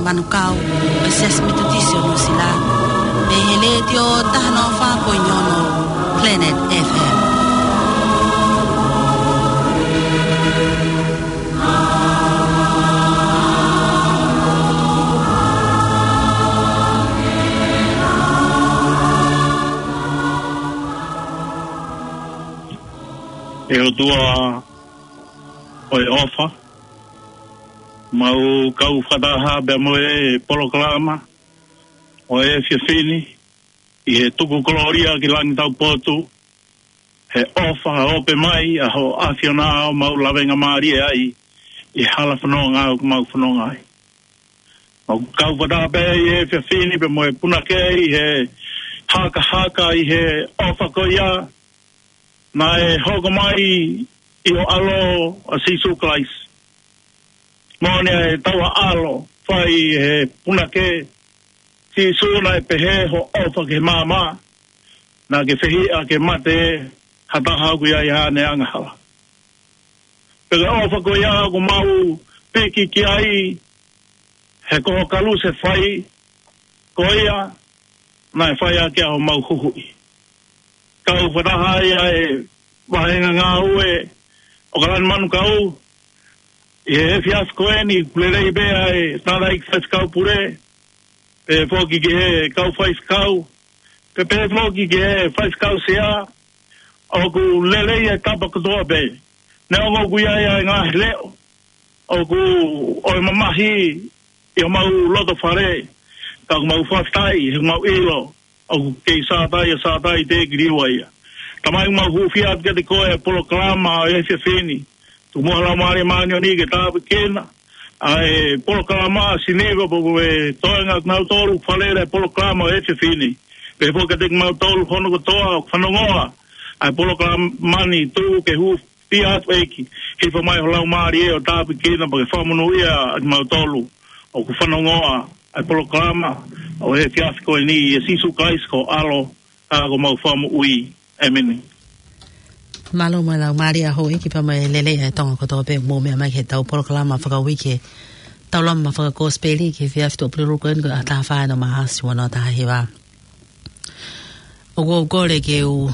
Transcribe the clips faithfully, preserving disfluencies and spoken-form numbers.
Manukau, ʻo e Siasi Metotisi ʻo Nuʻusila, ʻi he letiō taha noa fā poini ono Planet F M. ʻE ʻOtua ʻo e ʻofa, mau kau fakataha pea mo e polokalama ʻo e efiafi ni, ʻi he tuku kolōlia ki langi taupotu, he ʻofa ʻope mai ʻa ho ʻAfiona ʻo mau lavengamālie ai ʻi he hala fononga ʻoku mau fononga ai. Mau kau fakataha pē ʻi he efiafi ni pea mo e punake ʻi he hakahaka ʻi he ʻofa ko ia naʻe hoko mai ʻi ho ʻAlo ʻa Sīsū Kalaisi. Moʻoni ʻa e taua ʻAlo fai he punake, Sīsū, naʻe pehē hoʻo ʻofa ki he maama, naʻa ke fehiʻa ke mate ha taha ʻoku ʻi ai haʻane angahala. Pea ko e ʻofa ko ia ʻoku mau piki ki ai, he ko ho kalusi fai, ko ia naʻe fai ʻaki ʻa homau huhuʻi. Kau fakataha ai ʻa e vahenga ngāue ʻo Kalani Manukau, ʻi he efiafi ko eni, ʻoku lelei pē ʻa e tangataʻeiki faifekau pule, pehē foki ki he kau faifekau, pea pehē foki ki he faifekau sea, ʻoku lelei e tapa kotoa pē. Neongo ʻoku ʻi ai ʻa e ngaahi leʻo ʻoku ʻo e mamahi ʻi homau loto fale, ka ʻoku mau fakafetaʻi he mau ʻilo ʻoku kei Sātai ʻa Sātai, teʻeki liliu ia. Tamai, mau hūfia atu kiate koe e polokalama ʻo e efiafi ni. Tuku muʻa ho Laumālie Māʻoniʻoni ke tāpuekina ʻa e polokalama ʻa Siniva, pea mo e toenga kinautolu ʻoku faleʻi e polokalama ʻo e efiafi ni. Pehē foki kiate kimautolu hono kotoa ʻoku fanongoa ʻa e polokalama ni, tuku ke hūfia atu, ʻEiki. Hifo mai ho Laumālie ʻo tāpuekina pea ke fakamonūʻia ʻa kimautolu ʻoku fanongoa ʻa e polokalama ʻo e efiafi ko eni, ʻia Sīsū Kalaisi ko ho ʻAlo, ka ko homau Fakamoʻui. ʻĒmeni. Mālō mo e laumālie ʻa houʻeiki pea mo e lelei ʻa e Tonga kotoa pē ʻoku mou meʻa mai ki heʻetau polokalama fakauike, tau lama fakakosipeli ki he efiafi ʻo e pule ruku eni, ko e ʻaho taha fā ʻo Maʻasi ua noa taha hiva. ʻOku ou kole ke u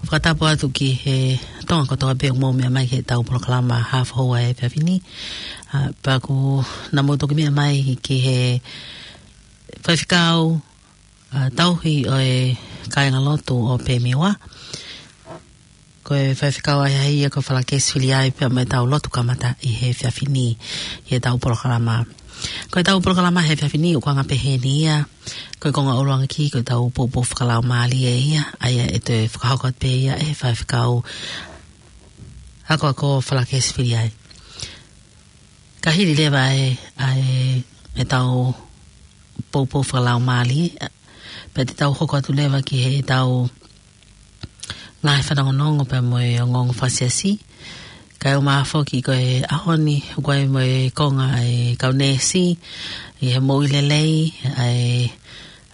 fakatapu atu ki he Tonga kotoa pē ʻoku mou meʻa mai ki heʻetau polokalama Haʻa Foʻou ʻa e efiafi ni. ʻA, pea ʻoku, naʻa mou toki meʻa mai ki he faifekau, ʻa, tauhi ʻo e kāingalotu ʻo Pemiwa. Ko e faifekau ʻahiʻahi ia ko Falakesi Filiai pea mo ʻetau lotu kamata ʻi he efiafi ni ʻi heʻetau polokalama. Ko ʻetau polokalama he efiafi ni ʻoku anga pehē ni ia. Ko e konga ʻuluaki ko ʻetau poupou fakalaumālie ia, ʻa ia ʻe toe fakahoko atu pē ia ʻe he faifekau akoako Falakesi Filiai. Ka hili leva ʻa e, ʻa e, ʻetau poupou fakalaumālie, pea te tau hoko atu leva ki heʻetau ngaahi fanongonongo pea mo e ongoongo fakasiasi. Kae ʻumaʻā foki ko e ʻaho ni, ʻoku ʻi ai mo e konga ʻa e kau neesi, ʻi he moʻui lelei ʻa e,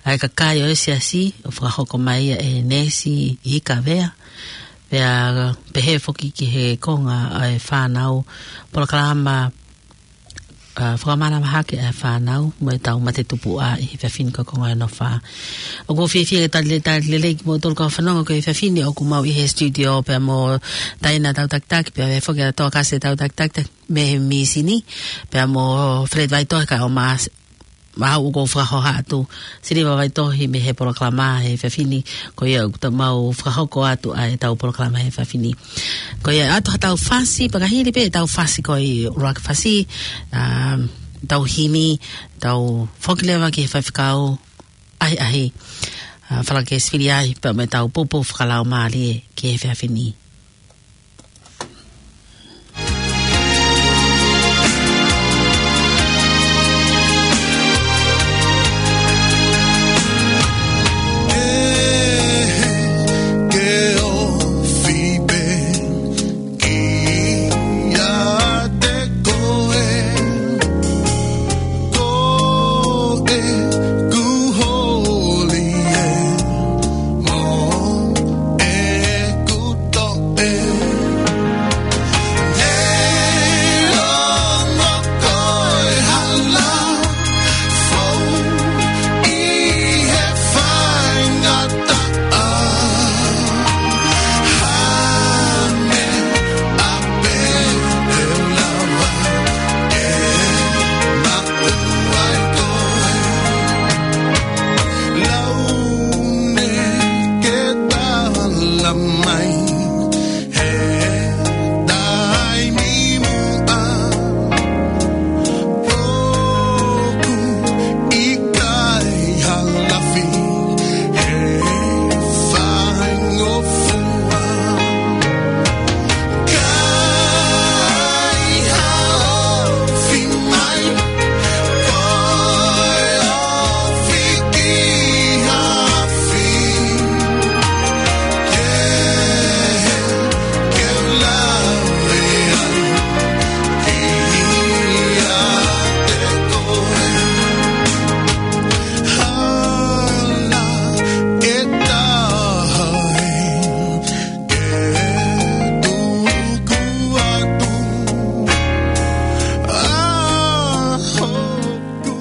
ʻa e kakai ʻo e siasi, ʻo fakahoko mai ʻe he neesi ʻi Kavea. Pea pehē foki ki he konga ʻa e fānau, polokalama, ʻa, fakamanavahake ʻa e fānau mo ʻetau mate tupuʻa ʻi he efiafi ni ko e konga ʻe nofo. ʻOku ou fiefia ke talitali lelei kimoutolu kau fanongo ki he efiafi ni, ʻoku mau ʻi he studio pea mo Taina Tautakitaki, pea pehē foki ʻa Toakase Tautakitaki mei he mīsini, pea mo Fred Vaitohi kae ʻumaʻā au, ʻoku ou fakahoha atu Siniva Vaitohi mei he polokalama he efiafi ni. Ko ia ʻoku mau fakahoko atu ʻa ʻetau polokalama he efiafi ni. Ko ia ʻoatu haʻatau fasi, pea ka hili pē ʻetau fasi ko e ʻuluaki fasi, ʻa, tau himi, tau foki leva ki he faifekau ʻahiʻahi, ʻa, Falakesi Filiai pea mo ʻetau poupou fakalaumālie ki he efiafi ni.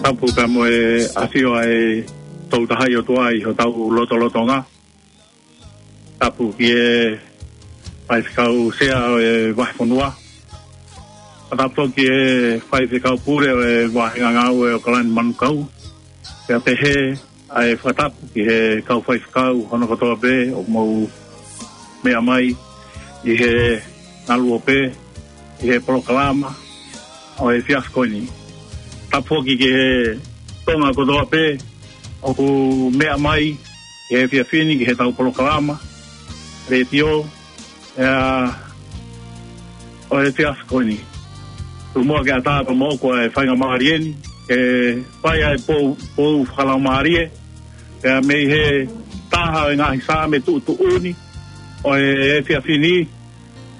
Tapu pea mo e ʻafio ʻa e Tolu Tahaʻi ʻOtua ʻi hotau lotolotonga. Tapu ki he faifekau sea ʻo e vahefonua. Tapu ki he faifekau pule ʻo e vāhenga ngāue ʻo ʻAokalani Manukau. Pea pehē ʻa e fakatapu ki he kau faifekau hono kotoa pē ʻoku mou meʻa mai ʻi he ngaluope, ʻi he polokalama ʻo e efiafi ko eni. Tapu foki ki he Tonga kotoa pē ʻoku meʻa mai ʻi he efiafi ni ki heʻetau polokalama letiō, ʻa ʻo e efiafi ko eni. Tuku muʻa ke ʻatā pea mo ʻoku ʻa e faingamālie ni ke fai ʻa e pou, pou fakalaumālie, pea mei he taha ʻo e ngaahi Saame tuʻutuʻuni ʻo e efiafi ni,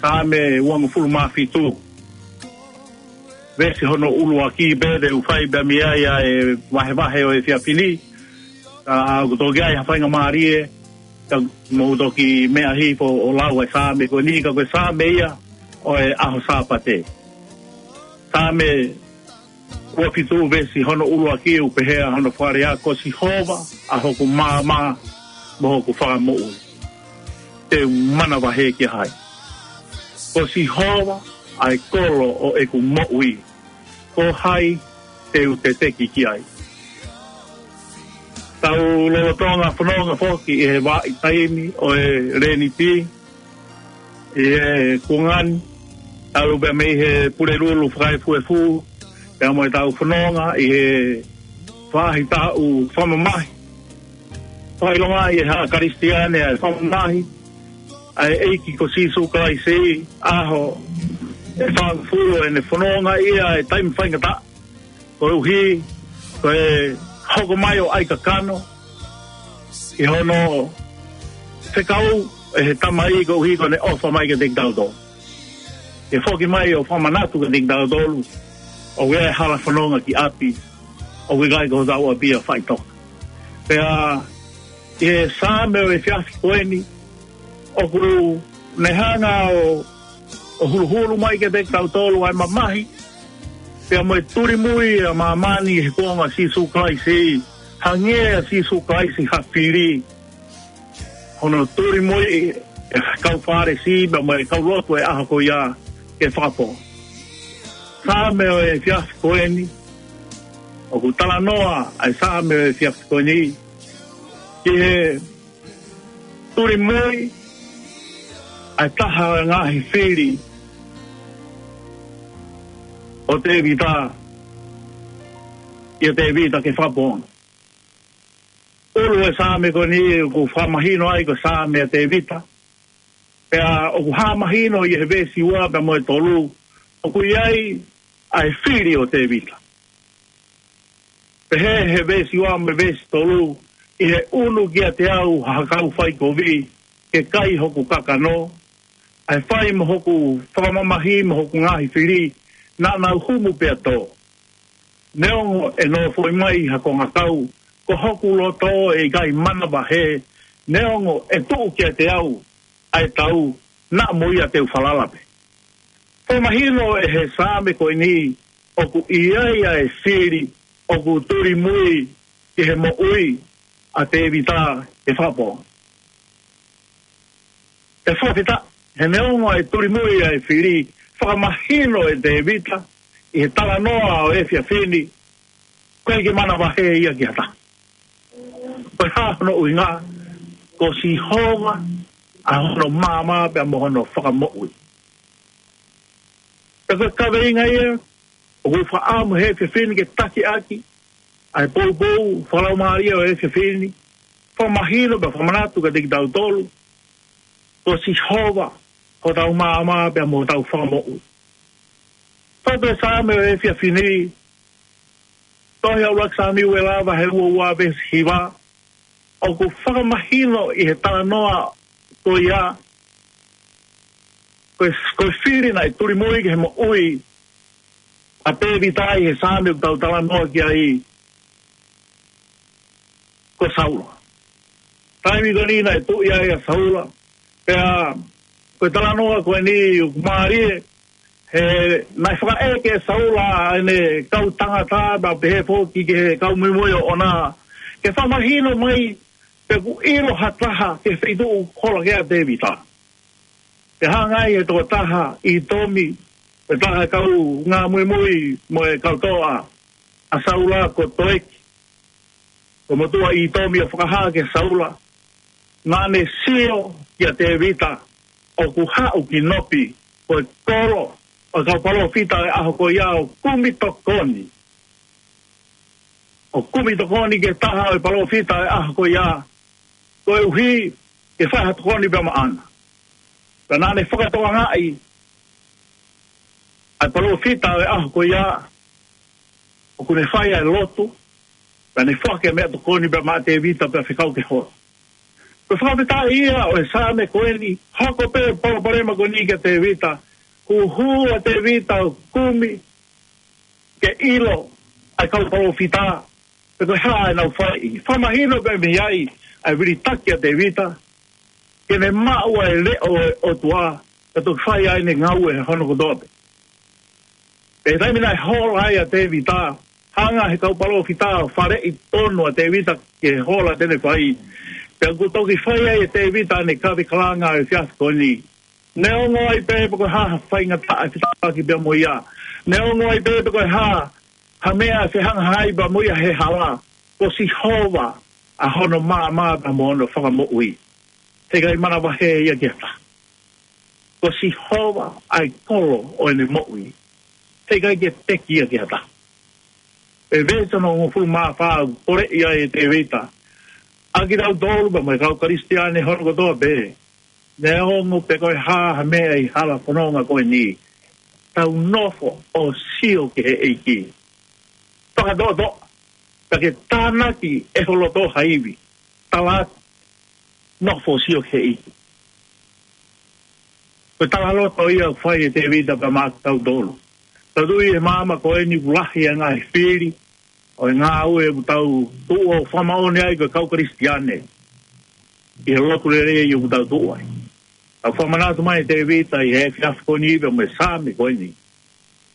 Saame uangofulu mā fitu. Veesi hono ʻuluaki pē te u fai pea mei ai ʻa e vahevahe ʻo e efiafi ni. Ka ʻoku toki ʻi ai ha faingamālie, ka mou toki meʻa hifo ʻo lau ʻa e Saame ko eni, ka ko e Saame ia ʻo e ʻaho Sāpate. Saame ua fitu veesi hono ʻuluaki ʻoku pehē ʻa hono fakalea: Ko Sihova ʻa hoku maama mo hoku fakamoʻui. Te u manavahē kia hai? Ko Sihova ʻa e kolo ʻo ʻeku moʻui. Ko hai te u teteki ki ai? Tau lolotonga fononga foki ʻi he vahaʻa taimi ʻo e Leniti ʻi he kuonga ni, talu pē mei he Pulelulu fakaefuefu, pea mo ʻetau fononga ʻi he faʻahitaʻu fakamamahi. Fakaʻilonga ʻe he haʻa Kalisitiane ʻa e fakamamahi ʻa e ʻEiki ko Sīsū Kalaisi, ʻaho ʻe fāngofulu ʻene fononga ia ʻi he taimi faingataʻa, koeʻuhi ko e hoko mai ʻo ʻai kakano ʻi hono fekau ʻe he Tamai koeʻuhi ko ʻene ʻofa mai kiate kitautolu. ʻE foki mai ʻo fakamanatu kiate kitautolu ʻoku ʻi ai e hala fononga ki ʻapi, ʻoku ʻikai ko hotau ʻapi ia faʻitoka. Pea ʻi he Saame ʻo e efiafi ko eni, ʻoku ne hanga ʻo, ʻo huluhulu mai kiate kitautolu ʻa e mamahi pea mo e tulimui ʻa māmani he kuonga ʻo Sīsū Kalaisi, hangē ʻa Sīsū Kalaisi ha fili. Hono tulimui ʻe he kau Fālesi pea mo e kau lotu ʻo e ʻaho ko ia ke fakapō. Saame ʻo e efiafi ko eni, ʻoku talanoa ʻa e Saame ʻo e efiafi ko eni ki he tulimui ʻa e taha ʻo e ngaahi fili ʻo Tēvita ʻia Tēvita ke fakapō. ʻUlu e Saame ko eni ʻoku fakamahino ai ko e Saame ʻa Tēvita. Pea ʻoku hā mahino ʻi he veesi ua pea mo e tolu, ʻoku ʻi ai ʻa e fili ʻo Tēvita. Pehē he veesi ua mo e veesi tolu, ʻi he ʻunu kiate au ha kau faikovi ke kai hoku kakano, ʻa e fai mo hoku fakamamahi mo hoku ngaahi fili, naʻa nau humu pea tō. Neongo ʻe nofoʻi mai ha kongakau, ko hoku loto ʻe ʻikai manavahē, neongo ʻe tuʻu kiate au ʻa e tau, naʻa mo ia te u falala pē. Fakamahino ʻe he Saame ko eni ʻoku ʻi ai ʻa e fili ʻoku tulimui ki he moʻui ʻa Tēvita ke fakapō. ʻE fakafetaʻi, he neongo ʻa e tulimui ʻa e fili, fakamahino ʻe Tēvita ʻi he talanoa ʻo e efiafi ni, ʻoku ʻikai ke manavahē ia ki ha taha. Ko e hā hono ʻuhinga? Ko Sihova ʻa hono maama pea mo hono fakamoʻui. Pea ko e kaveinga ia ʻoku ou fakaʻamu he efiafi ni ke taki ʻaki, ʻa e poupou fakalaumālie ʻo e efiafi ni, fakamahino pea fakamanatu kiate kitautolu, ko Sihova hotau maama pea mo hotau fakamoʻui. Fatu e Saame ʻo e efiafi ni, tohi ʻa ʻUluaki Samiuela vahe ua ua veesi hiva, ʻoku fakamahino ʻi he talanoa ko ia, ko e, ko e fili naʻe tulimui ki he moʻui ʻa Tēvita ʻi he Saame ʻoku tau talanoa ki ai, ko Saula. Taimi ko eni naʻe tuʻi ai ʻa Saula, pea ko e talanoa ko eni ʻoku mālie, ʻE, naʻe fakaʻeke ʻe Saula ʻene kau tangata, pea pehē foki ki he kau muimui ʻoʻona, ke fakamahino mai pe ʻoku ʻilo ha taha ki he feituʻu ʻoku hola ki ai ʻa Tēvita. Pea hanga ai ʻe he tokotaha ʻĪtomi, ʻe taha e kaungā muimui mo e kau toʻa ʻa Saula ko Toeki, ko e motuʻa ʻĪtomi, ʻo fakahā kia Saula, naʻa ne sio kia Tēvita ʻoku haʻu ki Nopi, ko e kolo ʻo e kau palōfita ʻo e ʻaho ko ia, ʻo kumi tokoni, ʻo kumi tokoni ki he taha ʻo e palōfita ʻo e ʻaho ko ia, koeʻuhi ke fai ha tokoni pea maʻana. Pea naʻa ne fakatokangaʻi ʻa e palōfita ʻo e ʻaho ko ia ʻoku ne fai ʻa e lotu, pea ne foaki ʻa e meʻatokoni pea maʻa Tēvita pea fekau ke hola. Ko e fakafetaʻi ia ʻo e Saame ko eni, hoko pē palopalema ko eni kia Tēvita, huhu ʻa Tēvita ʻo kumi ke ʻilo ʻa e kau palōfita, pe ko e hā ʻenau fai. Fakamahino pē mei ai ʻa e vilitaki ʻa Tēvita, ke ne maʻu ʻa e leʻo ʻo e ʻOtua, ka toki fai ai ʻene ngāue hono kotoa pē. Pea taimi naʻe hola ai ʻa Tēvita, hanga ʻe he kau palōfita ʻo faleʻi tonu ʻa Tēvita ki he hola te ne fai. Pea kuo toki fai ai ʻe Tēvita ʻene kave kalanga ʻo e efiafi ko eni. Neongo ai pē pe ko e hā ha faingataʻa ʻe fetaulaki pea mo ia. Neongo ai pē pe ko e hā ha meʻa ʻe fehangahangai pea mo ia he hala, ko Sihova ʻa hono maama pea mo hono fakamoʻui. Heʻikai manavahē ia ki ha taha. Ko Sihova ʻa e kolo ʻo ʻene moʻui. Heʻikai ke peki ia ki ha taha. ʻI he veesi hono hongofulu mā fā, poleʻi ai ʻe Tēvita ʻa kitautolu pea mo e kau Kalisitiane hono kotoa pē. Neongo pe ko e hā ha meʻa ʻi he hala fononga ko eni, tau nofo ʻo sio ki he ʻEiki. Fakatoʻotoʻa, ka ke tānaki ʻe ho loto ha ivi, tala atu, nofo ʻo sio ki he ʻEiki. Ko e talaloto ia ʻoku fai ʻe Tēvita pea maʻa kitautolu. Tau tui ʻi he maama ko eni ʻoku lahi ʻa e ngaahi fili ʻo e ngāue ʻoku tau tuʻu ʻo fakamoʻoni ai ko e kau Kalisitiane ʻi he lotu lelei ʻoku tau tuʻu ai. Tau fakamanatu mai ʻe Tēvita ʻi he efiafi ko eni pea mo e Saame ko eni.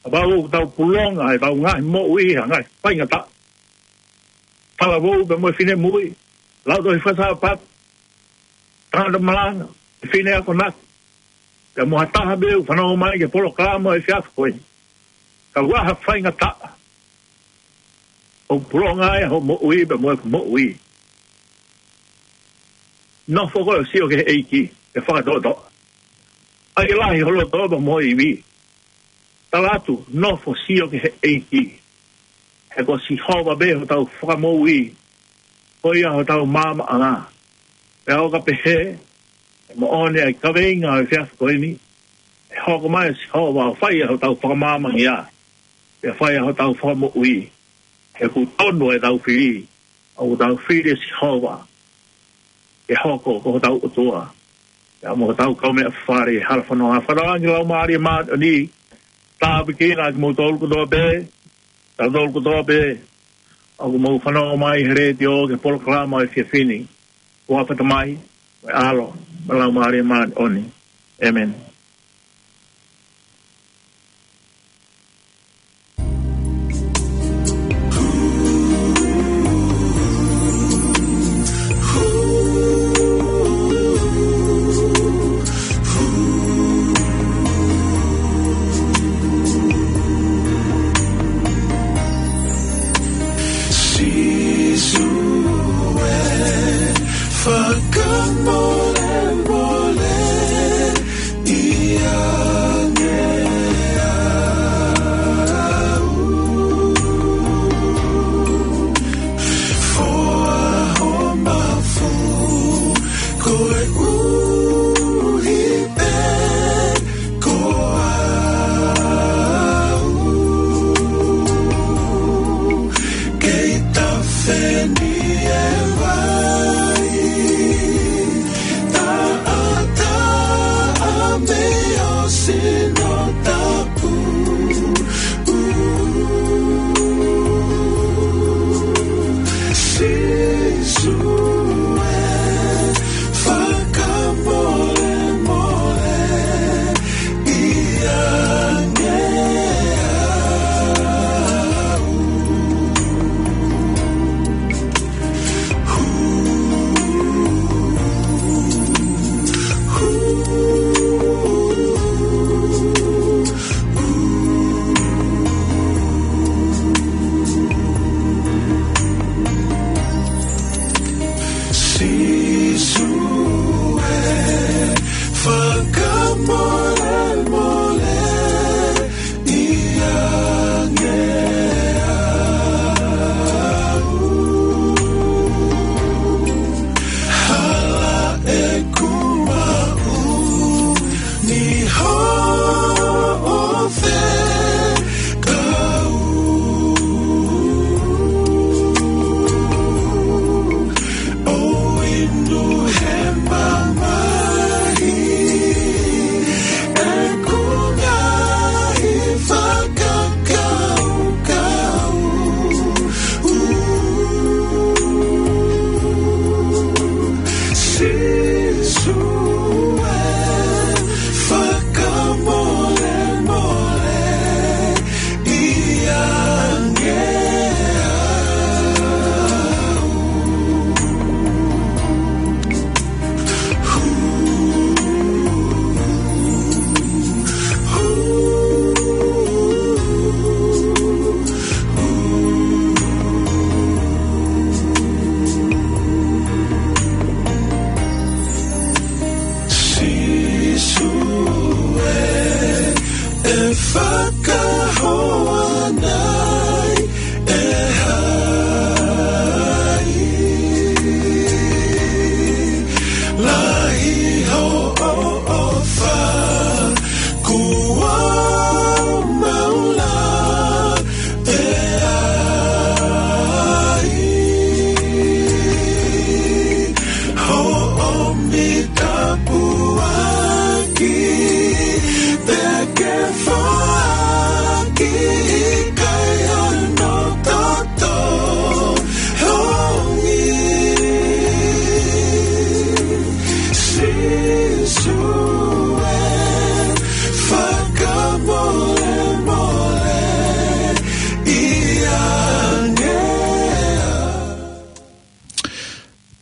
Kapau ʻoku tau pulonga ʻetau ngaahi moʻui ʻi ha ngaahi faingataʻa, talavou pea mo e finemui, lautohi fakaSāpate, tangata malanga, fefine akonaki, pea mo ha taha pē ʻoku fanongo mai ki he polokalama ʻo e efiafi ko eni, ka ʻoku ʻi ai ha faingataʻa ʻoku pulonga ai hoʻo moʻui pea mo ʻeku moʻui, nofo koe ʻo sio ki he ʻEiki, ke fakatoʻotoʻa. ʻAi ke lahi ho loto pea mo ho ivi, tala atu, nofo ʻo sio ki he ʻEiki. He ko Sihova pē hotau fakamoʻui, ko ia hotau maamaʻanga. Pea ʻo ka pehē ʻe moʻoni ʻa e kaveinga ʻo e efiafi ko eni, ʻe hoko mai ʻa Sihova ʻo fai ʻa hotau fakamaamangia, pea fai ʻa hotau fakamoʻui. He ʻoku tonu ʻetau fili, ʻoku tau fili ʻa Sihova ke hoko ko hotau ʻOtua pea mo hotau kaumeʻafale ʻi he hala fononga. Fakatauange Laumālie Māʻoniʻoni, tāpuekina kimoutolu kotoa pē, kitautolu kotoa pē ʻoku mou fanongo mai he letiō ki he polokalama ʻo e efiafi ni. ʻOfa atu mai, mo e ʻAlo, mo e Laumālie Māʻoniʻoni. ʻĒmeni. Sīsū ē, fakamolemole ʻiate au. Foaki ho mafu koeʻuhi pē ko au. Kei tafe ni e vai taʻataʻa mei ho sino tapu. Sīsū ē, fakamolemole ʻiate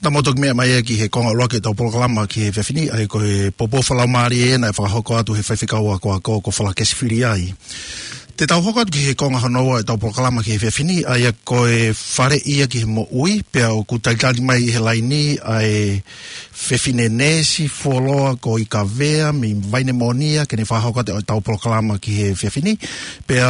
Ka mou toki meʻa mai ia ki he konga ʻuluaki ʻetau polokalama ki he efiafi ni, ʻa ia ko e poupou fakalaumālie ena ʻe fakahoko atu he faifekau akoako ko Falakesi Filiai. Te tau hoko atu ki he konga hono ua ʻetau polokalama ki he efiafi ni, ʻa ia ko e faleʻi ia ki he moʻui, pea ʻoku talitali mai ʻi he laini ʻa e fefine neesi fuoloa ko Ikavea mei Vainemonia, ke ne fakahoko atu ʻetau polokalama ki he efiafi ni. Pea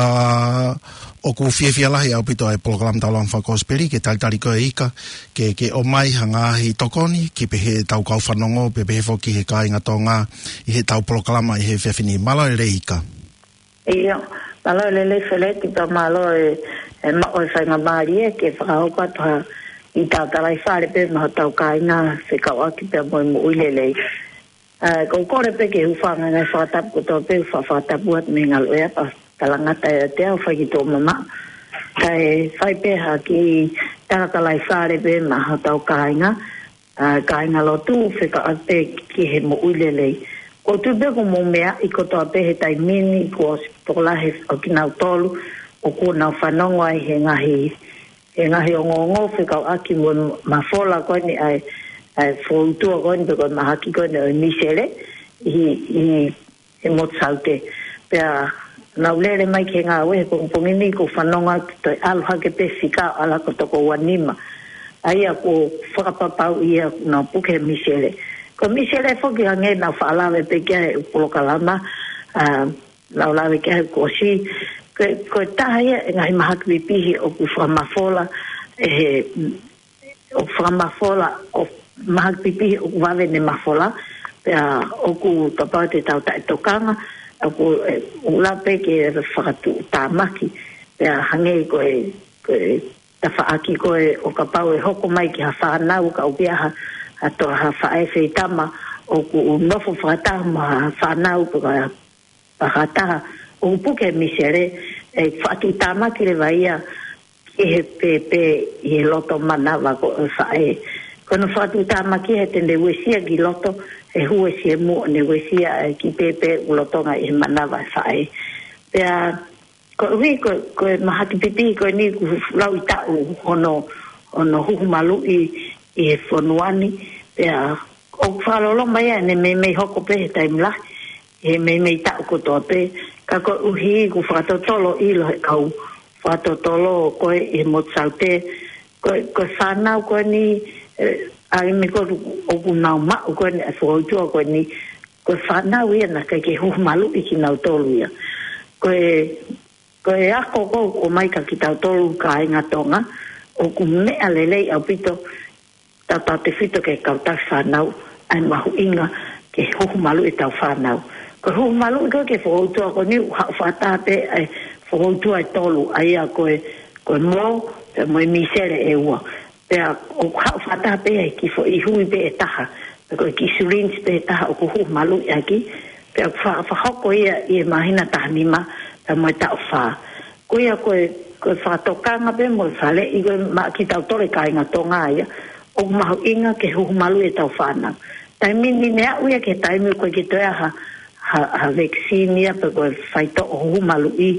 ʻoku fiefia lahi ʻaupito ʻa e polokalama Taulanga Fakakosipeli ke talitali koe Ika, ke, ke ʻomai ha ngaahi tokoni ki he pehē ʻetau kau fanongo, pea pehē foki he kāinga Tonga ʻi heʻetau polokalama ʻi he efiafi ni. Mālō e lelei Ika. ʻIo, mālō e lelei Feleti, pea mālō e, e maʻu e faingamālie ke fakahoko atu ha ʻita tala ʻi fale pē maʻa hotau kāinga fekauʻaki pea mo e moʻui lelei. ʻA, ʻoku ou kole pē ke hūfanga he ngaahi fakatapu kotoa pē, fa-, fakatapu atu mei he ngaluʻea pea talangata ʻiate au fai ki tuʻa mamaʻo. Kae fai pē ha kiʻi tala tala ʻi fale pē maʻa hotau kāinga, ʻa, kāinga lotu fekauʻaki pē ki he moʻui lelei. ʻOku ou tui pē ʻoku mou meaʻi kotoa pē he taimi ni kuo ʻosi tokolahi ʻo kinautolu ʻoku nau fanongo ai he ngaahi, he ngaahi ongoongo fekauʻaki mo e mafola ko eni ʻa e, ʻa e foutua ko eni pe ko e mahaki ko eni ʻo e misele ʻi, ʻi he motu Saute. Pea nau lele mai ki he ngāue he pongipongi ni, ʻoku ou fanongo atu toe ʻalu hake pē fika ʻo ʻalu ko e toko ua nima. ʻA ia ʻoku fakapapauʻi ia ʻoku nau puke he misele. Ko e misele foki hangē naʻa ku faʻa lave pē ki ai he polokalama, ʻa, naʻa ku lave ki ai kuo ʻosi. Ko e, ko e taha ia e ngaahi mahaki pipihi ʻoku fakamafola ʻe he ʻoku fakamafola, ʻoku mahaki pipihi ʻoku vave ʻene mafola, pea ʻoku kapau te tau taʻetokanga, ʻoku, ʻe, ʻoku lava pē ke fakatuʻutāmaki, pea hangē ko e, ko e tafaʻaki ko ē ʻo kapau ʻe hoko mai ki ha fānau ka ʻoku ʻi ai ha, ha toʻa ha faʻē feitama, ʻoku nofo fakataha mo ha fānau pe ko ha, pe ko ha taha ʻoku puke he misele, ʻe fakatuʻutāmaki leva ia ki he pēpē ʻi he loto manava ko ē ʻo e faʻē. Ko hono fakatuʻutāmaki he te ne uesia ki loto, he uesia mo ne uesia ʻa e kiʻi pēpē ʻoku lolotonga ʻi he manava ʻo e faʻē. Pea koeʻuhi ko, ko e mahaki pipihi ko eni ʻoku lauʻitaʻu hono, hono huhu maluʻi ʻi he fonua ni, pea ʻoku fakaloloma ia ʻene meimei hoko pē he taimi lahi, he meimei taʻu kotoa pē, ka koeʻuhi ʻoku fakatotolo ʻilo he kau fakatotolo ko ē ʻi he motu Saute, ko e, ko e fānau ko eni, ʻe, ʻa e meʻa ko ē ʻoku nau maʻu ko eni, ʻa e foutua ko eni, ko e fānau ia naʻe ʻikai ke huhu maluʻi kinautolu ia. Ko e, ko e ako ko ē ʻoku ʻomai kia kitautolu kāinga Tonga, ʻoku meʻa lelei ʻaupito, tautautefito ki he kau taki fānau, ʻa e mahuʻinga ke huhu maluʻi ʻetau fānau. Ko e huhu maluʻi ko ē ki he foutua ko eni ʻoku haʻu fakataha pē ʻa e foutua ʻe tolu, ʻa ia ko e, ko e mō, pea mo e misele ʻe ua. Pea ʻoku haʻu fakataha pē ʻa e kiʻi foʻi hui pē ʻe taha, pe ko e kiʻi syringe pē ʻe taha ʻoku huhu maluʻi ʻaki, pea ʻoku fa-, fakahoko ia ʻi he māhina taha nima, pea mo e taʻu fā. Ko ia ko e, ko e fakatokanga pē mo e faleʻi ko ē maʻa kitautolu e kāinga Tonga ia, ʻoku mahuʻinga ke huhu maluʻi ʻetau fānau. Taimi ni ne aʻu ia ki he taimi ʻoku ʻikai ke toe ʻi ai ha, ha, ha vaccine ia pe ko e faitoʻo huhu maluʻi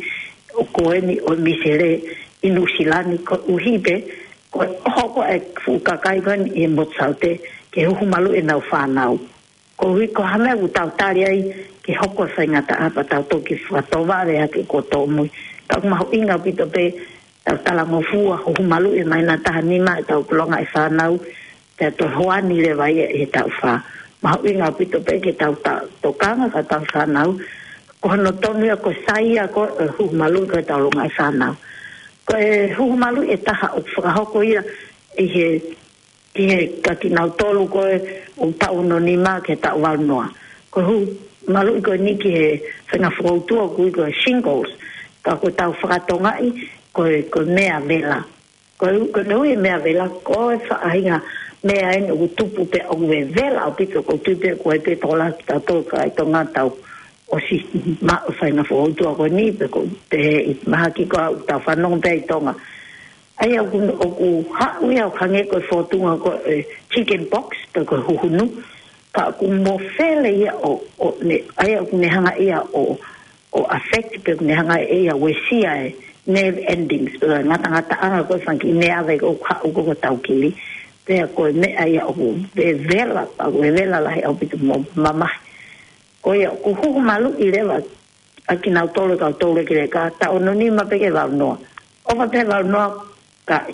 ʻo ko eni ʻo e misele ʻi Nuʻusila ni koeʻuhi pē, ko e ʻoho ko ē ʻa e fuʻu kakai ko eni ʻi he motu Saute ke huhu maluʻi ʻenau fānau. Koeʻuhi ko ha meʻa ʻoku tau tali ai ke hoko e faingataʻa pea tau toki fakatovale hake kuo tōmui. Ka ʻoku mahuʻinga ʻaupito pē tau talangofua, huhu maluʻi ʻi he māhina taha nima ʻetau ʻulungaanga e fānau, pea toe hoani leva ia ʻi he taʻu fā. Mahuʻinga ʻaupito pē ke tau ta-, tokanga ki heʻetau fānau, ko hono tonu ia ko e sai ia ko e huhu maluʻi ko ē ʻetau ʻulungaanga e fānau. Ko e huhu maluʻi ʻe taha ʻoku fakahoko ia ʻi he ki he, kia kinautolu ko ē ʻoku taʻu ono nima ki he taʻu valu noa. Ko e huhu maluʻi ko eni ki he faʻahinga foutua ʻoku ui ko e shingles. Ka ʻoku tau fakatongaʻi ko e, ko e meʻa vela. Ko e, ko e ui e meʻa vela, ko e faʻahinga meʻa eni ʻoku tupu pea ʻoku vevela ʻaupito, ʻoku ou tui pē ʻoku ʻi ai pē tokolahi kitautolu kakai Tonga ʻoku tau ʻosi maʻu e faʻahinga foutua ko eni, pe ko e, pe ʻi mahaki ko ē ʻoku tau fanongo pē ʻi Tonga. ʻA ia ʻoku, ʻoku haʻu ia ʻo hangē ko e fōtunga ko e chicken pox, pe ko e huhunu, ka ʻoku mofele ia ʻo, ʻo ne, ʻa ia ʻoku ne hanga ia ʻo, ʻo affect pe ʻoku ne hanga ia ʻo uesia e nerve endings, pe ko e ngatangataʻanga ko ē fanga kiʻi meʻa vei ko ē ʻoku haʻu ko ē ko e taukili. Pea ko e meʻa ia ʻoku vevela, ʻoku vevela lahi ʻaupito mo mamahi. Ko ia, ʻoku huhu maluʻi leva ʻa kinautolu e kau toulekileka, taʻu ono nima pē ki he valu noa. ʻOfa pē valu noa, ka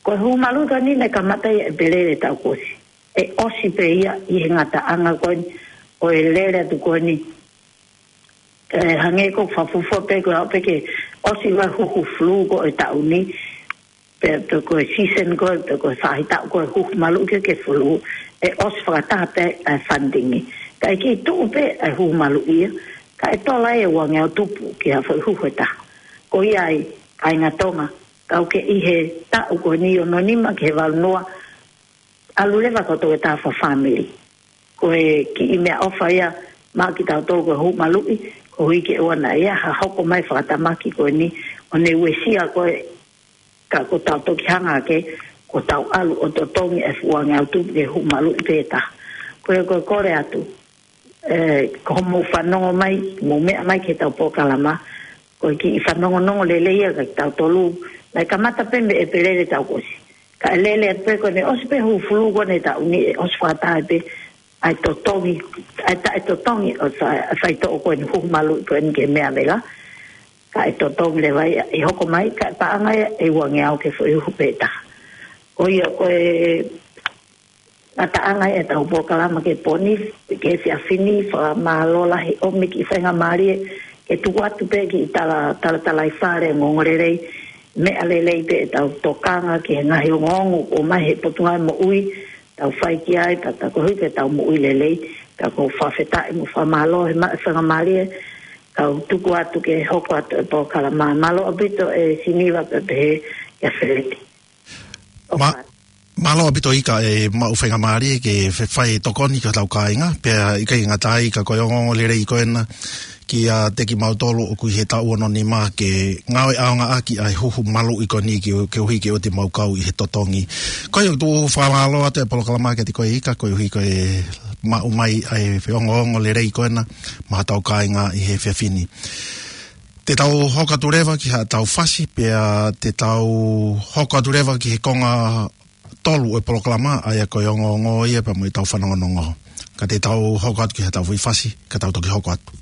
ko e huhu maluʻi ko eni naʻe kamata ia ʻEpeleli taʻu kuo ʻosi. ʻE ʻosi pē ia ʻi he ngataʻanga ko eni ʻo e lele atu ko eni. ʻE hangē ko e fakafuofua pē ko e aʻu pē ke ʻosi ʻa e huhu flu ko e taʻu ni. Pe, pe ko e season ko e, pe ko e faʻahitaʻu ko e huhu maluʻi ke, ke flu, ʻe ʻosi fakataha pē ʻa e funding. Ka ʻe kei tuʻu pē ʻa e huhu maluʻi ia, ka ʻe tola e uangeau tupu ki ha foʻi huhu ʻe taha. Ko ia ai, kāinga Tonga, kau ke ʻi he taʻu ko eni ono nima ki he valu noa, ʻalu leva ko e toketā fakafāmili. Ko e kiʻi meʻaʻofa ia maʻa kitautolu ko e huhu maluʻi, koeʻuhi ke ʻoua naʻa ʻi ai ha hoko mai fakatamaki ko eni, ʻo ne uesia ko e, ka ko tau toki hanga ke, ko tau ʻalu ʻo totongi e fuʻu uangeau tupu ke huhu maluʻi pē taha. Ko ia ko e kole atu, ē, ko hoʻomou fanongo mai, mou meʻa mai ki heʻetau polokalama, ko e kiʻi fanongonongo lelei ia kia kitautolu, naʻe kamata pē mei ʻEpeleli taʻu kuo ʻosi. Ka ʻe lele atu pē ko eni ʻosi pē huhu flu ko eni taʻu ni ʻe ʻosi fakataha pē ʻa e totongi, ʻa e taʻetotongi ʻo e fa-, ʻa e faitoʻo ko eni huhu maluʻi ko eni ki he meʻa vela. Ka ʻe totongi leva ia ʻe hoko mai, ka ʻe paʻanga ia ʻe uangeau ki he foʻi huhu pē taha. Ko ia ko e ngataʻanga ia ʻetau polokalama ki he pō ni, ki he efiafi ni, fakamālō lahi ʻomi e kiʻi faingamālie ke tuku atu pē kiʻi tala, talatalaifale, ongoongolelei, meʻa lelei pē ʻetau tokanga ki he ngaahi ongoongo ʻoku ʻomai he Potungāue Moʻui, tau fai ki ai, pea tau koeʻuhi ke tau moʻui lelei, pea ʻoku ou fakafetaʻi mo fakamālō he maʻu e faingamālie, kau tuku atu ke hoko atu e polokalama. Mālō ʻaupito e Siniva pea pehē kia Feleti. Ma-, ʻOfa. Mālō ʻaupito Ika e maʻu faingamālie ke fe-, fai e tokoni ki hotau kāinga, pea ʻikai ngata ai ka ko e ongoongolelei ko ena kiate kimautolu ʻoku ʻi he taʻu ono nima ke ngāue ʻaonga ʻaki ʻa e huhu maluʻi ko eni ke, koeʻuhi ke ʻoua te mau kau ʻi he totongi. Ko ia ʻoku ou fakamālō atu e polokalama kiate koe Ika, koeʻuhi ko e maʻu mai ʻa e ongoongolelei ko ena maʻa hotau kāinga ʻi he efiafi ni. Te tau hoko atu leva ki haʻatau fasi, pea te tau hoko atu leva ki he konga tolu ʻo e polokalama, ʻa ia ko e ongoongo ia pea mo ʻetau fanongonongo. Ka te tau hoko atu ki haʻatau foʻi fasi, ka tau toki hoko atu.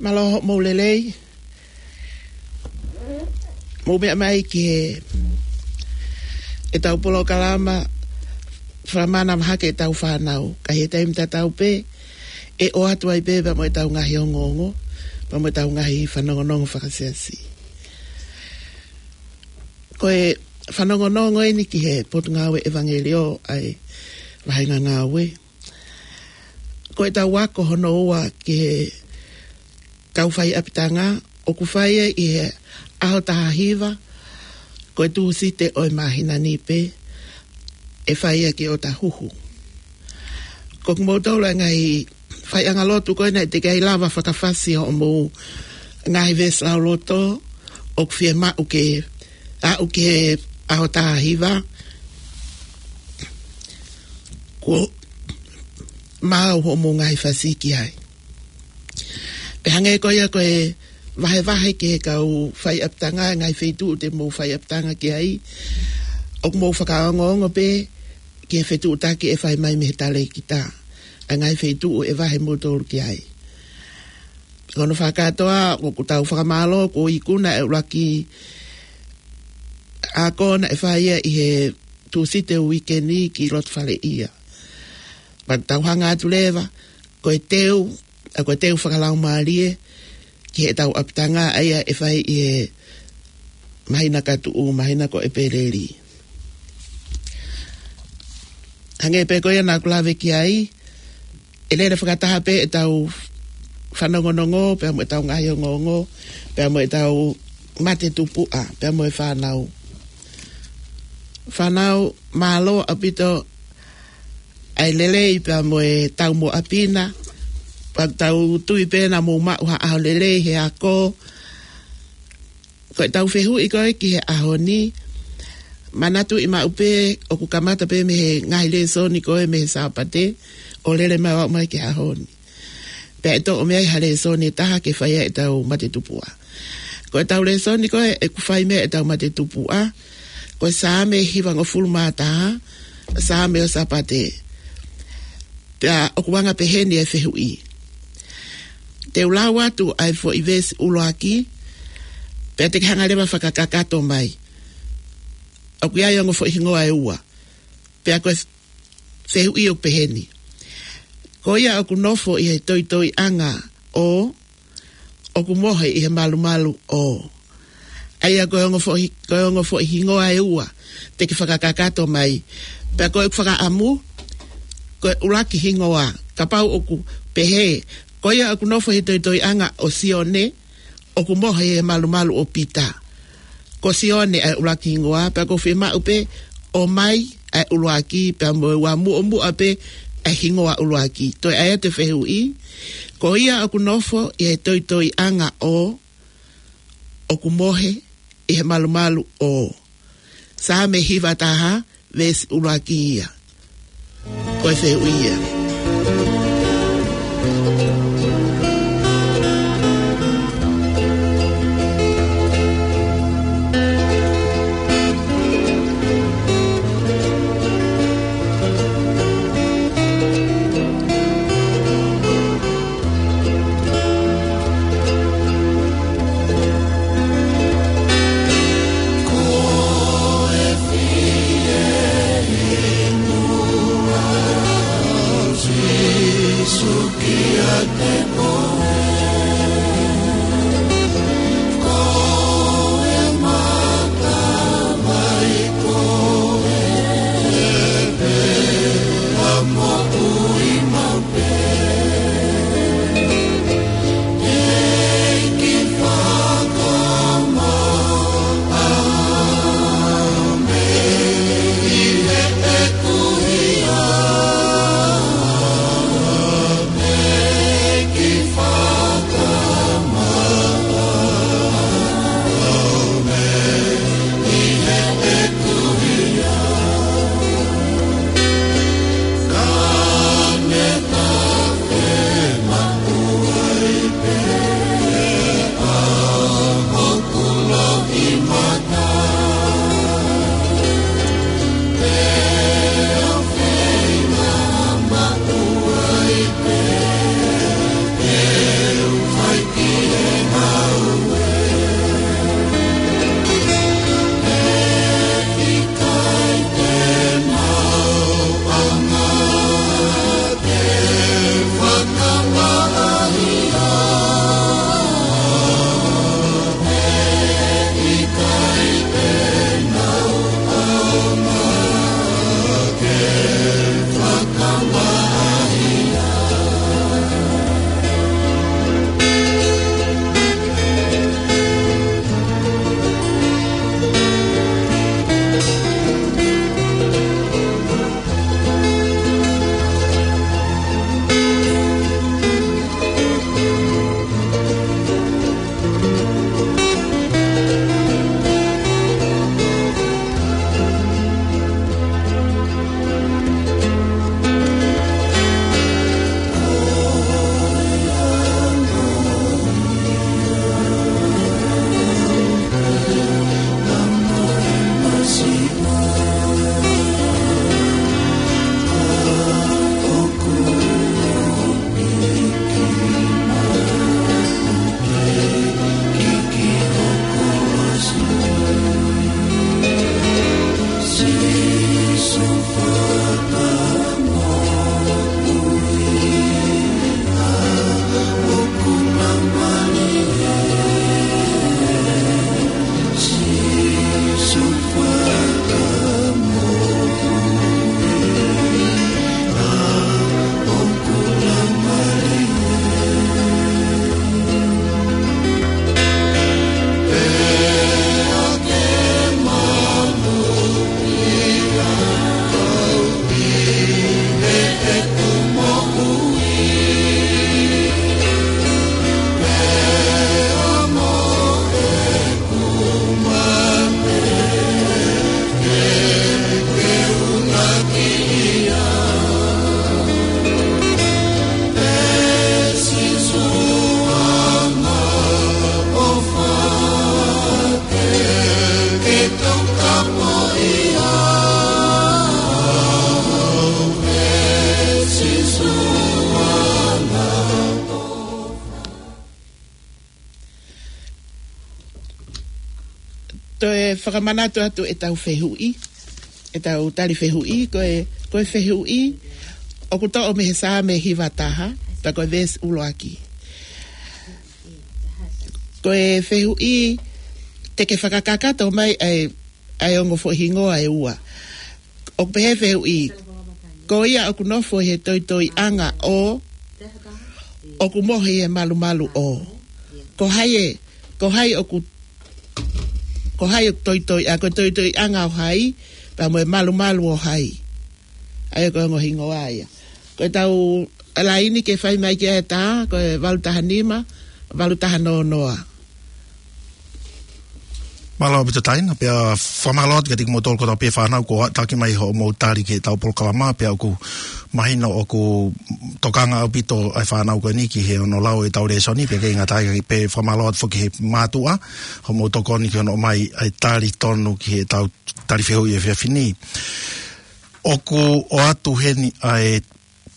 Mālō hoʻomou lelei. Mou meʻa mai ki he, ʻetau polokalama Fakamānava Hake ʻEtau Fānau. Ka ʻi he taimi tatau pē, ʻe ʻoatu ai pē pea mo ʻetau ngaahi ongoongo. pea mo ʻetau ngaahi fanongonongo fakasiasi. Ko e fanongonongo eni ki he Potungāue ʻEvangeliō ʻa e Vahenga Ngāue. Ko ʻetau ako hono ua ki he kau faiʻapitanga, ʻoku fai ia ʻi he ʻaho taha hiva, ko e Tūsite ʻo e māhina ni pē, ʻe fai ia ki ʻOtahuhu. Ko kimoutolu ʻa e ngaahi faiʻanga lotu ko ē naʻe teʻeki ai lava fakafasi hoʻomou ngaahi veesi lauloto, ʻoku fiemaʻu ke aʻu ki he ʻaho taha hiva, kuo maau hoʻomou ngaahi fasi ki ai. Pea hangē ko ia ko e vahevahe ki he kau faiʻapitanga, ngaahi feituʻu te mou faiʻapitanga ki ai, ʻoku mou fakaongoongo pē ki he fetuʻutaki ʻe fai mai mei he talēkita, ʻa e ngaahi feituʻu ʻe vahe moutolu ki ai. Ko hono fakakātoa, ʻoku tau fakamālō kuo ikuna e ʻuluaki ako naʻe fai ia ʻi he Tūsite uike ni ki Lotofaleʻia. Pea tau hanga atu leva, ko e teu, ʻa ko e teu fakalaumālie ki heʻetau ʻapitanga, ʻa ia ʻe fai ʻi he māhina ka tuʻu, māhina ko ʻEpeleli. Hangē pē ko ia naʻa ku lave ki ai, ʻe lele fakataha pē ʻetau fanongonongo, pea mo ʻetau ngaahi ongoongo, pea mo ʻetau mate tupuʻa, pea mo e fānau. Fānau, mālō ʻaupito ʻa e lelei pea mo e taumuʻa pina, pea tau tui pē naʻa mou maʻu ha ʻaho lelei he ako. Ko ʻetau fehuʻi ko ē ki he ʻaho ni, manatuʻi maʻu pē ʻoku kamata pē mei he ngaahi lēsoni ko ē mei he Sāpate, ʻo lele mai ʻo aʻu mai ki he ʻaho ni. Pea ʻe toʻo mei ai ha lēsoni ʻe taha ke fai ai ʻetau mate tupuʻa. Ko ʻetau lēsoni ko ē ʻoku fai mei ai ʻetau mate tupuʻa, ko e Saame hivangofulu mā taha, Saame ʻo Sāpate. Pea ʻoku anga peheni e fehuʻi. Te u lau atu ʻa e foʻi veesi ʻuluaki, pea te ke hanga leva fakakakato mai. ʻOku ʻi ai ongo foʻi hingoa ʻe ua. Pea ko e fehuʻi ʻoku peheni. Ko ia ʻoku nofo ʻi he toitoiʻanga ʻo, ʻoku mohe ʻi he malumalu ʻo. ʻA ia ko e ongo foʻi, ko e ongo foʻi hingoa ʻe ua te ke fakakakato mai. Pea ko ʻeku fakaʻamu, ko e ʻuluaki hingoa, kapau ʻoku pehē, ko ia ʻoku nofo ʻi he toitoiʻanga ʻo Sione, ʻoku mohe ʻi he malumalu ʻo Pita. Ko Sione ʻa e ʻuluaki hingoa, pea ʻoku fiemaʻu pē ʻo ʻomai ʻa e ʻuluaki, pea mo e ua muʻomuʻa pē ʻa e hingoa ʻuluaki. Toe ʻai atu e fehuʻi, ko ia ʻoku nofo ʻi he toitoiʻanga ʻo, ʻoku mohe ʻi he malumalu ʻo. Saame hiva taha, veesi ʻuluaki ia. Ko e fehuʻi ia. Toe fakamanatu atu ʻetau fehuʻi, ʻetau tali fehuʻi, ko e, ko e fehuʻi, ʻoku toʻo mei he Saame hiva taha, pea ko e veesi ʻuluaki. Ko e fehuʻi, te ke fakakakato mai ʻa e, ʻa e ongo foʻi hingoa ʻe ua. ʻOku pehē fehuʻi, ko ia ʻoku nofo he toitoiʻanga ʻo, ʻoku mohe he malumalu ʻo. Ko hai ē, ko hai ʻoku, ko hai ʻoku toitoi, ʻa, ko e toitoiʻanga ʻo hai, pea mo e malumalu ʻo hai. ʻA ia ko e ongo hingoa ia. Ko ʻetau laini ke fai mai ki ai ʻe tā, ko e valu taha nima, valu taha noa noa. Mālō ʻaupito Taina, pea fakamālō atu kiate kimoutolu kotoa pē fānau kuo ʻoatu mai hoʻomou tali ki heʻetau polokalama, pea ʻoku mahino ʻoku tokanga ʻaupito ʻa e fānau ko eni ki he ʻoku nau lau ʻetau lēsoni, pea ʻikai ngata ai pē fakamālō atu foki ki he mātuʻa, hoʻomou tokoni ki hono ʻomai ʻa e tali tonu ki heʻetau tali fehuʻi ʻo e efiafi ni. ʻOku ʻoatu heni ʻa e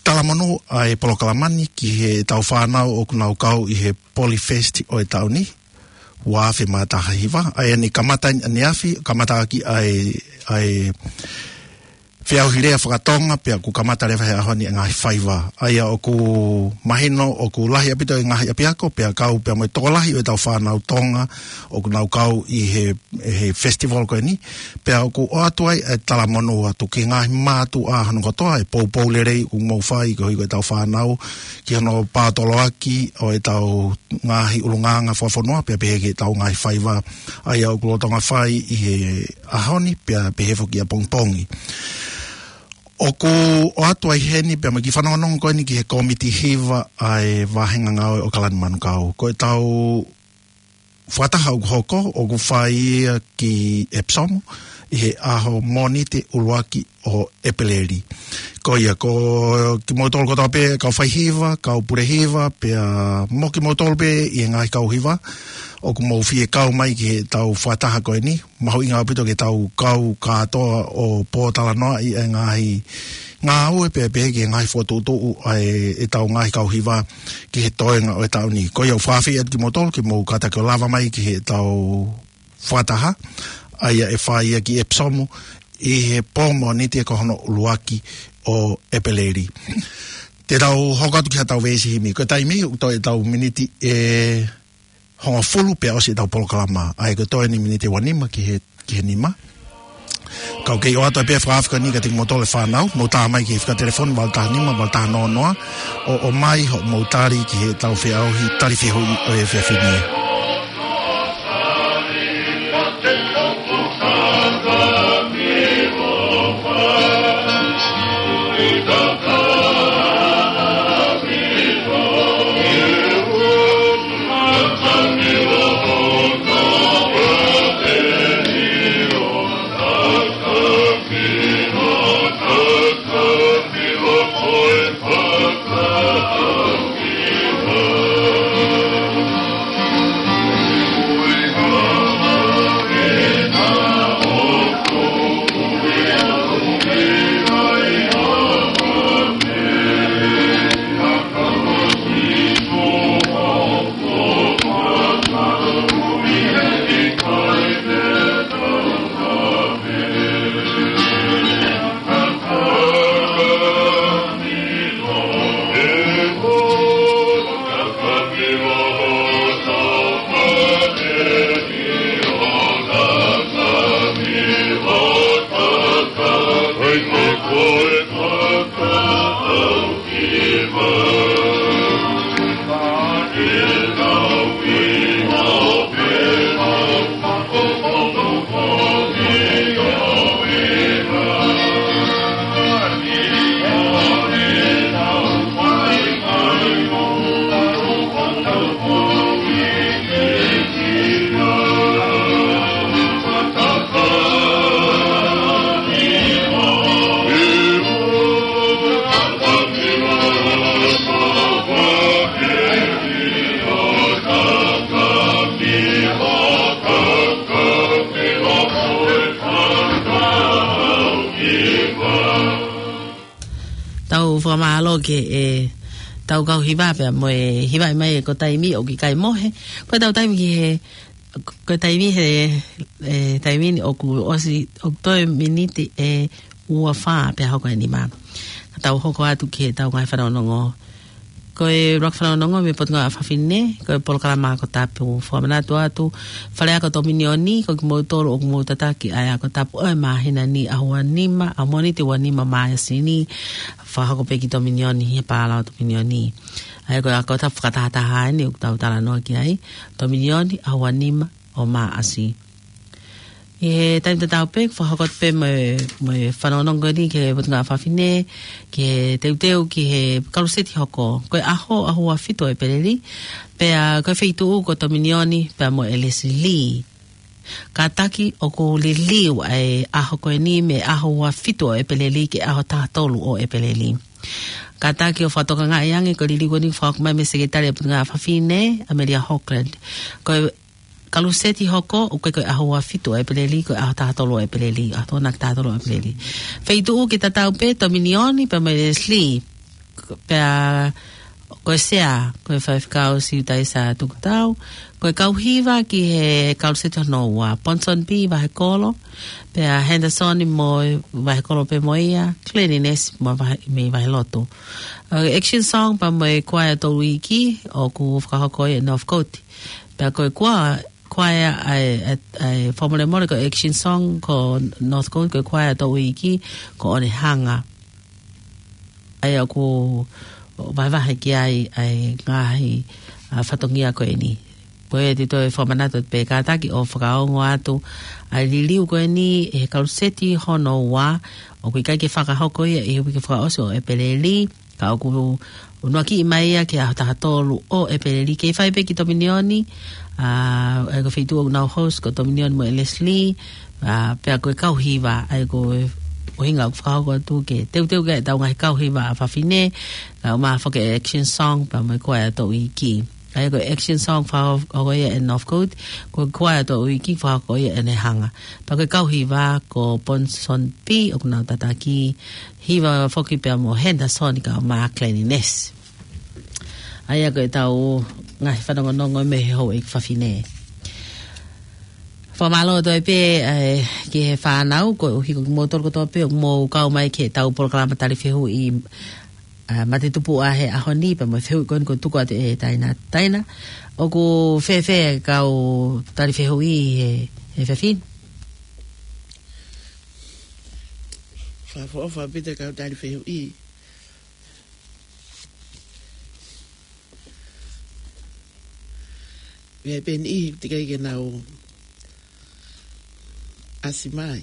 talamonū ʻa e polokalama ni ki heʻetau fānau ʻoku nau kau ʻi he Polyfest ʻo e taʻu ni, ua afe mā taha hiva, ʻa ia naʻe kamata ʻaneafi, kamata ʻaki ʻa e, ʻa e feʻauhi lea fakatonga, pea ʻoku kamata leva he ʻaho ni ʻa e ngaahi faiva. ʻA ia ʻoku mahino ʻoku lahi ʻaupito e ngaahi ʻapiako, pea kau pea mo e tokolahi ʻo ʻetau fānau Tonga ʻoku nau kau ʻi he he festival ko eni, pea ʻoku ʻoatu ai e talamonū atu ki he ngaahi mātuʻa hono kotoa, e poupou lelei ʻoku mou fai koeʻuhi ko ʻetau fānau, ki hono paotoloaki ʻo ʻetau ngaahi ʻulungaanga fakafonua, pea pehē ki heʻetau ngaahi faiva, ʻa ia ʻoku lolotonga fai ʻi he ʻaho ni, pea pehē foki ʻapongipongi. ʻOku ʻoatu ai heni, pea mo e kiʻi fanongonongo ko eni ki he kōmiti hiva ʻa e vāhenga ngāue ʻo Kalani Manukau. Ko ʻetau fakataha ʻoku hoko, ʻoku fai ia ki Epsom, ʻi he ʻaho Mōnite ʻuluaki ʻo ʻEpeleli. Ko ia, ko kimoutolu kotoa pē, kau faihiva, kau pulehiva, pea mo kimoutolu pē ʻi he ngaahi kau hiva, ʻoku mou fie kau mai ki heʻetau fakataha ko eni, mahuʻinga ʻaupito ke tau kau kātoa ʻo pōtalanoaʻi e ngaahi ngāue pea pehē ki he ngaahi fokotuʻutuʻu ʻa e, ʻetau ngaahi kau hiva ki he toenga ʻo e taʻu ni. Ko ia ʻoku fakaafeʻi atu kimoutolu ke mou kātaki ʻo lava mai ki heʻetau fakataha, ʻa ia ʻe fai ia ki Epsom ʻi he pō Mōnite ko hono ʻuluaki ʻo ʻEpeleli. Te tau hoko atu ki haʻatau veesi himi. Ko e taimi ʻoku toe ʻetau miniti ʻe hongofulu pea ʻosi ʻetau polokalama, ʻa ia ko e toe eni miniti ʻe uanima ki he, ki he nima. Kau kei ʻoatu ai pē fakaafeʻi ko eni kiate kimoutolu e fānau, mou tā mai ki he fika telefoni valu taha nima, valu taha noa noa, ʻo, ʻomai hoʻomou tali ki heʻetau feʻauhi tali fehuʻi ʻo e efiafi ni. Tau fakamālō ki he, ʻetau kau hiva pea mo e hiva mai ko e taimi ʻoku ʻikai mohe. Ko ʻetau taimi ki he Ko e taimi he, e, taimi ni ʻoku ʻosi, ʻoku toe miniti ʻe ua fā pea hoko e nima. Ka tau hoko atu ki heʻetau ngaahi fanongonongo. Ko e ʻuluaki fanongonongo mei he Potungāue ʻa Fafine, ko e polokalama Ako Tapu. Fakamanatu atu, fale ako Tominioni, ko kimoutolu ʻoku mou tataki ʻa e ako tapu ʻo e māhina ni, ʻaho ua nima, ʻaho Mōnite ua nima Māʻasi ni, fakahoko pē ki Tominioni, he pālao Tominioni. ʻA ia ko e ako tapu fakatahataha eni ʻoku tau talanoa ki ai, Tominioni, ʻaho ua nima ʻo Māʻasi. ʻI he taimi tatau pē, fakahoko atu pē mo e, mo e fanongonongo ni ki he Potungāue ʻa Fafine, ki he teuteu ki he kaluseti hoko. Ko e ʻaho, ʻaho ua fitu ʻo ʻEpeleli, pea ko e feituʻu ko Tominioni, pea mo ʻElesi Lī. Kātaki ʻoku liliu ʻa e ʻaho ko eni mei he ʻaho ua fitu ʻo ʻEpeleli ki he ʻaho taha tolu ʻo ʻEpeleli. Kātaki ʻo fakatokangaʻi ange ko e liliu ko eni fakahoko mai mei he Sekelitali ʻa e Potungāue ʻa Fafine, ʻAmelia Hogland. Ko e kaluseti hoko, ʻoku ʻikai ko e ʻaho ua fitu ʻo ʻEpeleli, ko e ʻaho taha tolu ʻo ʻEpeleli, ʻaho Tokonaki taha tolu ʻo ʻEpeleli. Feituʻu ki tatau pē, Tominioni, pea mo ʻElesi Lī. Pea ko e sea, ko e faifekau Siutaisa Tukutau, ko e kau hiva ki he kaluseti hono ua, Ponsonby Vahekolo, pea Henderson mo Vahekolo pē mo ia, Cleanliness mo Vahe-, mei Vahelotu. ʻA e action song pea mo e kuaea Touiki, ʻoku fakahoko ia ʻe Northcote. Pea ko e kua-, kuaea ʻa e, ʻa e, ʻa e fakamolemole ko e action song ko Northcote, ko e kuaea Touiki, ko ʻOnehanga. ʻA ia ʻoku vahevahe ki ai ʻa e ngaahi, ʻa, fatongia ko eni. Ko e te toe fakamanatu pē kātaki ʻo fakaongo atu ʻa e liliu ko eni ʻe he kaluseti hono ua, ʻoku ʻikai ke fakahoko ia ʻi he uike fakaʻosi ʻo ʻEpeleli, ka ʻoku unuakiʻi mai ia ki he ʻaho taha tolu ʻo ʻEpeleli, kei fai pē ki Tominioni, ʻa, ʻa ia ko e feituʻu ʻoku nau host ko Tominioni mo ʻElesi Lī, ʻa, pea ko e kau hiva, ʻa ia ko e ʻuhinga ʻoku fakahoko atu ke teuteu ki ai ʻetau ngaahi kau hiva ʻa Fafine, kae ʻumaʻā foki e action song, pea mo e kuaea Touiki. ʻA ia ko e action song fakahoko ia ʻe Northcote, ko e kuaea Touiki fakahoko ia ʻe ʻOnehanga. Pea ko e kau hiva ko Ponsonby ʻoku nau tataki, hiva foki pea mo Henderson kae ʻumaʻā Cleanliness. ʻA ia ko ʻetau ngaahi fanongonongo mei he houʻeiki fafine. Fakamālō toe pē, ē, ki he fānau, koeʻuhi ko kimoutolu kotoa pē ʻoku mou kau mai ki heʻetau polokalama tali fehuʻi, ē, matetupuʻa he ʻaho ni, pea mo e fehuʻi ko eni kuo tuku atu ʻe Taina. Taina, ʻoku fēfē kau tali fehuʻi he, he efiafi ni? Fakaʻofoʻofa ʻaupito kau tali fehuʻi. Meʻa pē ʻe niʻihi teʻeki ai ke nau ʻasi mai.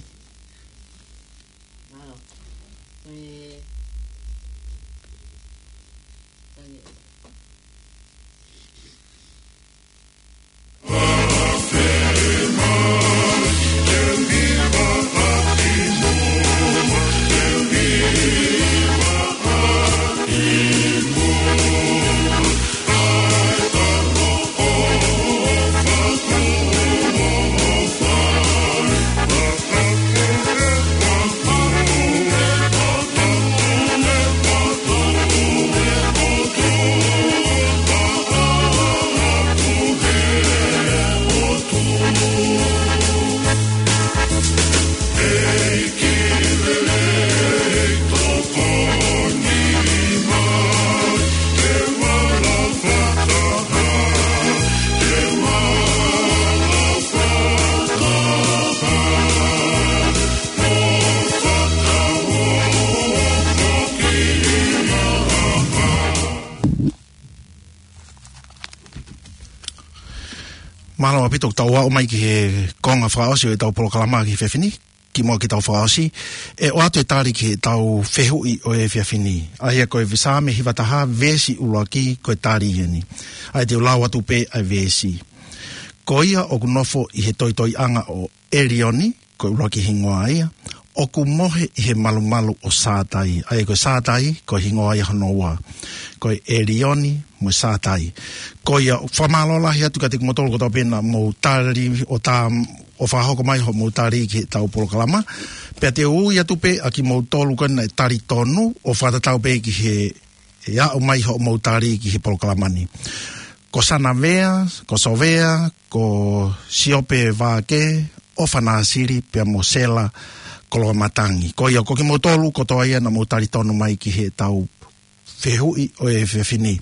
Mālō ʻaupito, tau aʻu mai ki he konga fakaʻosi ʻo ʻetau polokalama ki he efiafi ni. Kimuʻa ke tau fakaʻosi, ʻe ʻoatu e tali ki heʻetau fehuʻi ʻo e efiafi ni. ʻA ia ko e Saame hiva taha, veesi ʻuluaki, ko e tali eni. ʻA ia te u lau atu pē ʻa e veesi. Ko ia ʻoku nofo ʻi he toitoiʻanga ʻo ʻElioni, ko e ʻuluaki hingoa ia, ʻoku mohe ʻi he malumalu ʻo Sātai. ʻA ia ko Sātai, ko e hingoa ia hono ua. Ko ʻElioni mo Sātai. Ko ia, fakamālō lahi atu kiate kimoutolu kotoa pē naʻa mou tali ʻo tā, ʻo fakahoko mai hoʻomou tali ki heʻetau polokalama. Pea te u ui atu pē ʻa kimoutolu ko ē naʻe tali tonu ʻo fakatatau pē ki he, ʻe aʻu mai hoʻomou tali ki he polokalama ni. ko Sana Vea, ko Sovea, ko Siope Vake, ʻOfa Nāsili, pea mo Sela Koloamatangi. Ko ia ko kimoutolu kotoa ia naʻa mou talitonu mai ki heʻetau fehuʻi ʻo e efiafi ni.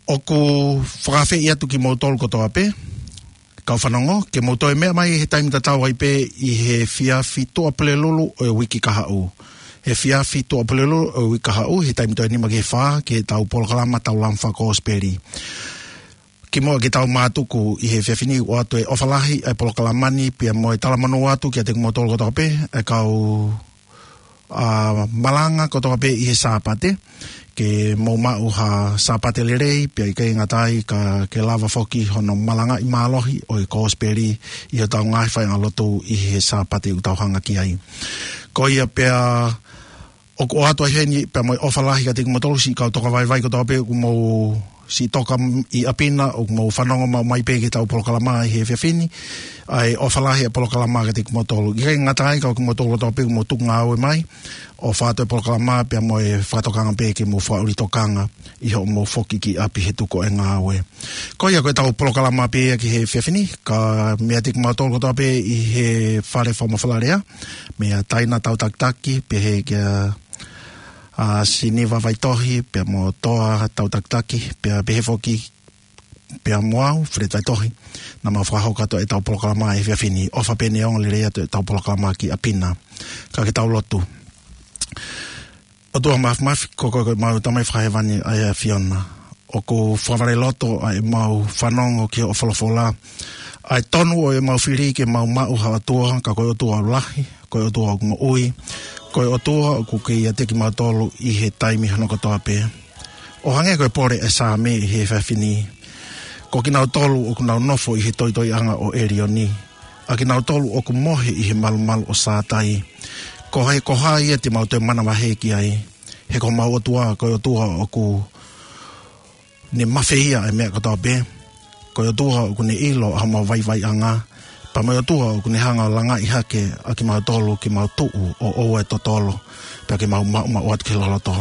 ʻOku fakaafeʻi atu kimoutolu kotoa pē, kau fanongo, ke mou toe meʻa mai he taimi tatau ai pē ʻi he efiafi Tuʻapulelulu ʻo e uike kahaʻu. He efiafi Tuʻapulelulu ʻo e uike kahaʻu, he taimi toe nima ki he fā, ki heʻetau polokalama Tau Lama Fakakosipeli. Kimuʻa ke tau mātuku ʻi he efiafi ni, ʻoatu e ʻofa lahi ʻa e polokalama ni, pea mo e talamonū atu kiate kimoutolu kotoa pē, ʻa e kau, ʻa, malanga kotoa pē ʻi he Sāpate, ke mou maʻu ha Sāpate lelei, pea ʻikai ngata ai ka ke lava foki hono malangaʻi mālohi ʻo e kosipeli ʻi hotau ngaahi faiʻanga lotu ʻi he Sāpate ʻoku tau hanga ki ai. Ko ia pea ʻoku ʻoatu ai heni pea mo e ʻofa lahi kiate kimoutolu siʻi kau tokavaivai kotoa pē ʻoku mou siʻi toka ʻi ʻapi na, ʻoku mou fanongo maʻu mai pē ki heʻetau polokalama ʻi he efiafi ni, ʻa e ʻofa lahi ʻa e polokalama kiate kimoutolu. ʻIkai ngata ai ka ko kimoutolu kotoa pē ʻoku mou tuku ngāue mai, ʻofa atu e polokalama pea mo e fakatokanga pē ke mou fakaʻuli tokanga ʻi hoʻomou foki ki ʻapi he tuku ʻa e ngāue. Ko ia ko ʻetau polokalama pē ia ki he efiafi ni, ka meʻa atu kimoutolu kotoa pē ʻi he fale fakamafola lea, meia Taina Tautakitaki, pehē kia, ʻa, Siniva Vaitohi, pea mo Toa Tautakitaki, pea pehē foki, pea mo au, Fred Vaitohi, naʻa mau fakahoko atu ʻetau polokalama he efiafi ni, ʻofa pē ʻene ongo lelei atu ʻetau polokalama ki ʻapi na. Ka ke tau lotu. ʻOtua Māfimafi, ko koe ko ʻemau Tamai Fakahēvani ʻa e ʻAfiona. ʻOku fakavaleloto ʻa ʻemau fanongo ki hoʻo folofola. ʻA e tonu ʻo ʻemau fili ke mau maʻu ha ʻOtua, ka ko e ʻOtua ʻoku lahi, ko e ʻOtua ʻoku moʻui, ko e ʻOtua ʻoku kei ʻiate kimautolu ʻi he taimi hono kotoa pē. ʻO hangē ko e pole ʻa e Saame ʻi he efiafi ni. Ko kinautolu ʻoku nau nofo ʻi he toitoiʻanga ʻo ʻElioni, ʻa kinautolu ʻoku mohe ʻi he malumalu ʻo Sātai. Ko hai, ko hai ia te mau toe manavahē ki ai? He ko homau ʻOtua, ko e ʻOtua ʻoku ne mafeia ʻa e meʻa kotoa pē. Ko e ʻOtua ʻoku ne ʻilo ʻa homau vaivaiʻanga. Pea mo e ʻOtua ʻoku ne hanga ʻo langaʻi hake ʻa kimautolu ke mau tuʻu ʻo ʻoua ʻe totolo, pea ke mau maʻumaʻu atu ki he loloto.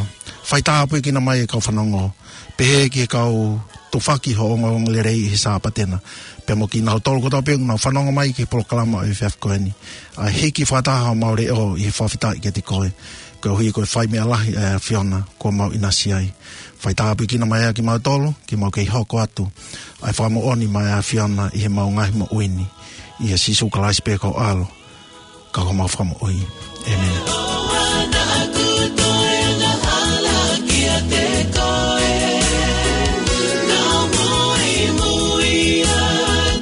Faitāpuekina mai e kau fanongo, pehē ki he kau tufaki hoʻo ongoongolelei ʻi he Sāpate na, pea mo kinautolu kotoa pē ʻoku nau fanongo mai ki he polokalama ʻo e efiafi ko eni. ʻA e hiki fakataha homau leʻo ʻi he fakafetaʻi kiate koe, koeʻuhi ko e fai meʻa lahi ʻa e ʻAfiona kuo mau ʻinasi ai. Faitāpuekina mai ʻa kimautolu, ke mau kei hoko atu ʻa e fakamoʻoni maʻa e ʻAfiona ʻi heʻemau ngaahi moʻui ni. ʻIa Sīsū Kalaisi pē ko ho ʻAlo, ka ko homau Fakamoʻui. ʻĒmeni.